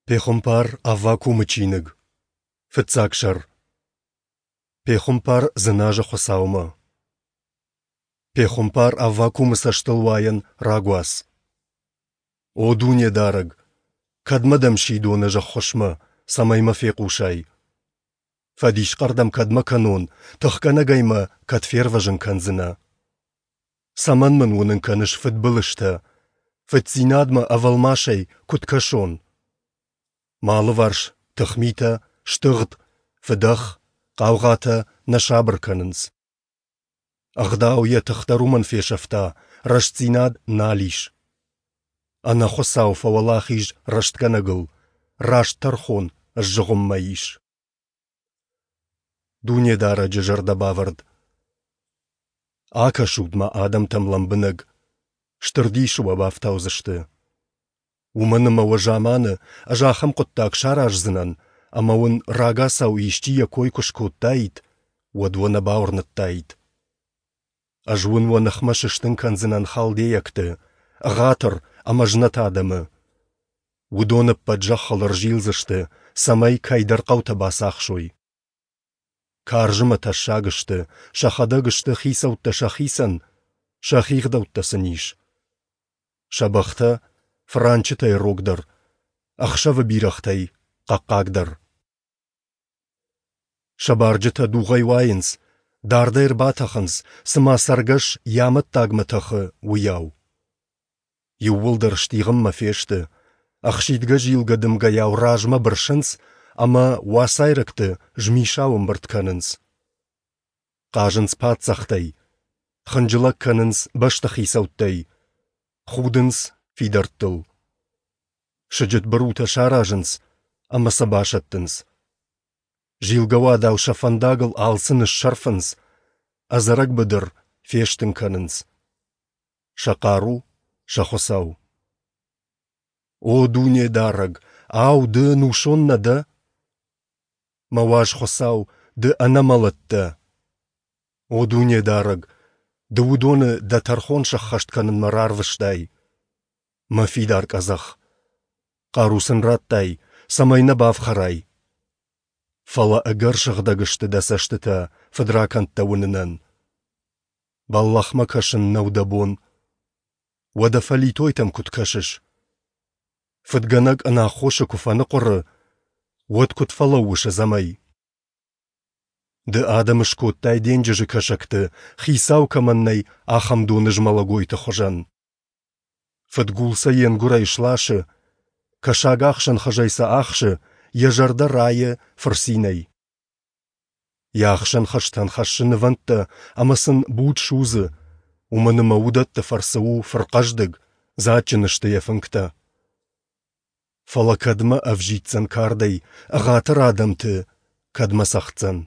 Пехуымпар Аввакумы чиныг, фыццаг сӕр. Пехуымпар дзыназы Хуыцаумӕ. Пехуымпар Аввакумы цӕстылуайӕн рагуац. О Дунедарӕг, кӕдмӕ дӕм сидон ӕз ӕххуысмӕ, цӕмӕй мӕ фехъусай? Фӕдисхъӕр дӕм кӕдмӕ кӕнон, тыхгӕнӕгӕй мӕ кӕд фервӕзын кӕндзынӕ? Цӕмӕн мын уынын кӕныс фыдбылызтӕ, фыддзинадмӕ ӕвӕлмасӕй куыд кӕсон? Мӕ алыварс тыхмитӕ, стыгъд, фыдӕх, хъаугъатӕ нӕ сабыр кӕнынц. Ӕгъдау йӕ тых дӕр уымӕн фесӕфта, рӕстдзинад нал ис. Ӕнӕхуыцау фӕуӕлахиз рӕстгӕнӕгыл, раст тӕрхон сзыгъуыммӕ ис. Дунедарӕджы зӕрдӕбавӕрд. Акӕсут-ма адӕмтӕм лӕмбынӕг, стыр дисы уӕ бафтаудзысты. Уымӕн ӕмӕ уӕ заманы ӕз ахӕм хъуыддаг сараздзынӕн, ӕмӕ уын рагацау исчи йӕ кой куы скодтаид, уӕд уӕ нӕ бауырныдтаид. Ӕз уын уӕ ныхмӕ сыстын кӕндзынӕн халдейӕгты, ӕгъатыр ӕмӕ знӕт адӕмы. Уыдон ӕппӕт зӕххыл ӕрзилдзысты, цӕмӕй кӕйдӕр хъӕутӕ бацахсой. Карз ӕмӕ тӕссаг сты, сӕхӕдӕг сты хицӕуттӕ сӕхицӕн, сӕхи гъдӕуттӕ сын ис. Сӕ бӕхтӕ фыранчытӕй рогдӕр, ӕхсӕвы бирӕгътӕй хъӕхъхъагдӕр. Сӕ барджытӕ дугъӕй уайынц, дардӕй ӕрбатӕхынц, цыма цӕргӕс йӕ амӕттагмӕ тӕхы, уыйау. Иууылдӕр стигъынмӕ фесты, ӕхсидгӕ-зилгӕ дымгӕйау размӕ бырсынц ӕмӕ уацайрӕгты змисау ӕмбырд кӕнынц. Хъазынц паддзӕхтӕй, хынджылӕг кӕнынц бӕстыхицӕуттӕй, худынц фидӕрттыл. Сыджыт бырутӕ саразынц ӕмӕ сӕ басӕттынц. Зилгӕуадау сӕ фӕндагыл алцы ныссӕрфынц, ӕдзӕрӕг быдыр фестын кӕнынц. Сӕ хъару, сӕ Хуыцау. О Дунедарӕг, ау, ды ӕнусон нӕ дӕ? Мӕ уаз Хуыцау, ды ӕнӕмӕлӕт дӕ. О Дунедарӕг, ды уыдоны дӕ тӕрхон сӕххӕст кӕнынмӕ рарвыстай. Мӕ фидар къӕдзӕх, хъару сын радтай, цӕмӕй нӕ бафхӕрай. Фӕлӕ ӕгӕр сыгъдӕг сты дӕ цӕстытӕ фыдракӕндтӕ уынынӕн. Бӕллӕхмӕ кӕсын нӕу дӕ бон. Уӕдӕ фӕлитойтӕм куыд кӕсыс? Фыдгӕнӕг ӕнаххосы куы фӕныхъуыры, уӕд куыд фӕлӕууыс ӕдзӕмӕй? Ды адӕмы скодтай денджызы кӕсӕгты, хицау кӕмӕн нӕй, ахӕм донызмӕлӕгойты хуызӕн. Фыдгул сӕ йе нгуырӕй сласы, кӕсагахсӕн хызӕй сӕ ахсы, йӕ зӕрдӕ райы фырцинӕй. Йӕ ахсӕн хызтӕн хӕссы нывӕндтӕ ӕмӕ сын буд судзы, уымӕн ӕмӕ уыдӕтты фӕрцы у фырхъӕздыг, дзаджджын сты йӕ фынгтӕ. Фӕлӕ кӕдмӕ ӕвзиддзӕн кардӕй, ӕгъатыр адӕмты кӕдмӕ цӕгъддзӕн?